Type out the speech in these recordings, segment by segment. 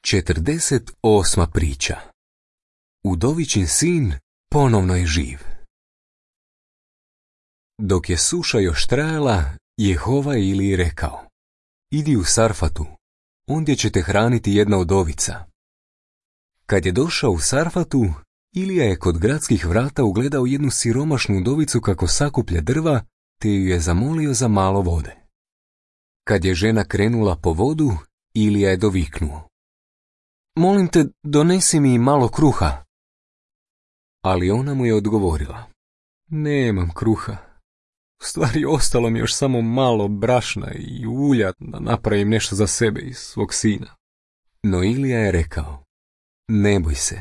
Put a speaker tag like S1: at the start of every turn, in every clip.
S1: 48. priča. Udovičin sin ponovno je živ. Dok je suša još trajala, Jehova je Iliji rekao: idi u Sarfatu, ondje će te hraniti jedna udovica. Kad je došao u Sarfatu, Ilija je kod gradskih vrata ugledao jednu siromašnu udovicu kako sakuplja drva, te ju je zamolio za malo vode. Kad je žena krenula po vodu, Ilija je doviknuo: molim te, donesi mi malo kruha. Ali ona mu je odgovorila: nemam kruha. U stvari, ostalo mi još samo malo brašna i ulja da napravim nešto za sebe i svog sina. No Ilija je rekao: ne boj se.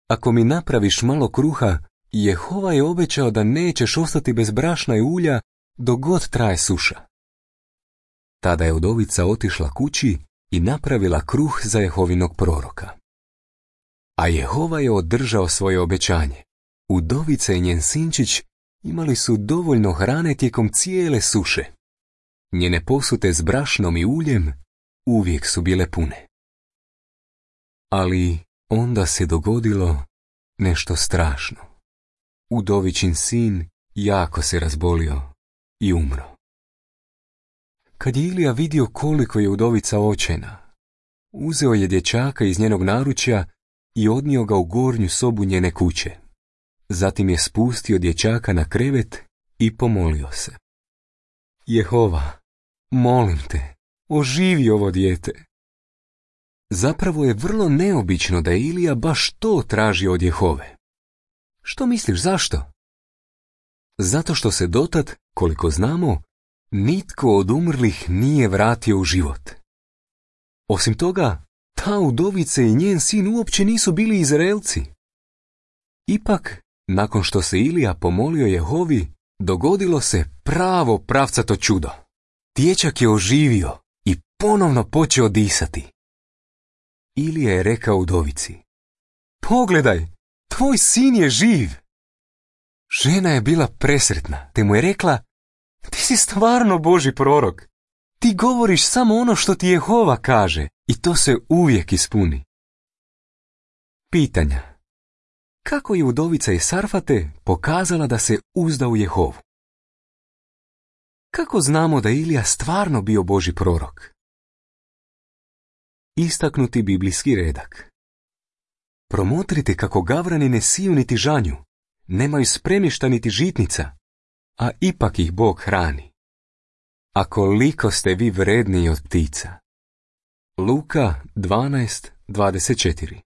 S1: Ako mi napraviš malo kruha, Jehova je obećao da nećeš ostati bez brašna i ulja dok god traje suša. Tada je udovica otišla kući i napravila kruh za Jehovinog proroka. A Jehova je održao svoje obećanje. Udovica i njen sinčić imali su dovoljno hrane tijekom cijele suše. Njene posute s brašnom i uljem uvijek su bile pune. Ali onda se dogodilo nešto strašno. Udovičin sin jako se razbolio i umro. Kad je Ilija vidio koliko je udovica očajna, uzeo je dječaka iz njenog naručja i odnio ga u gornju sobu njene kuće. Zatim je spustio dječaka na krevet i pomolio se: Jehova, molim te, oživi ovo dijete. Zapravo je vrlo neobično da je Ilija baš to tražio od Jehove. Što misliš, zašto? Zato što se dotad, koliko znamo, nitko od umrlih nije vratio u život. Osim toga, ta udovica i njen sin uopće nisu bili Izraelci. Ipak, nakon što se Ilija pomolio Jehovi, dogodilo se pravo pravcato čudo. Dječak je oživio i ponovno počeo disati. Ilija je rekao udovici: pogledaj, tvoj sin je živ. Žena je bila presretna, te mu je rekla: ti si stvarno Božji prorok. Ti govoriš samo ono što ti Jehova kaže i to se uvijek ispuni. Pitanja. Kako je udovica iz Sarfate pokazala da se uzda u Jehovu? Kako znamo da je Ilija stvarno bio Božji prorok? Istaknuti biblijski redak. Promotrite kako gavrani ne siju niti žanju, nemaju spremišta niti žitnica, a ipak ih Bog hrani. A koliko ste vi vredniji od ptica. Luka 12:24.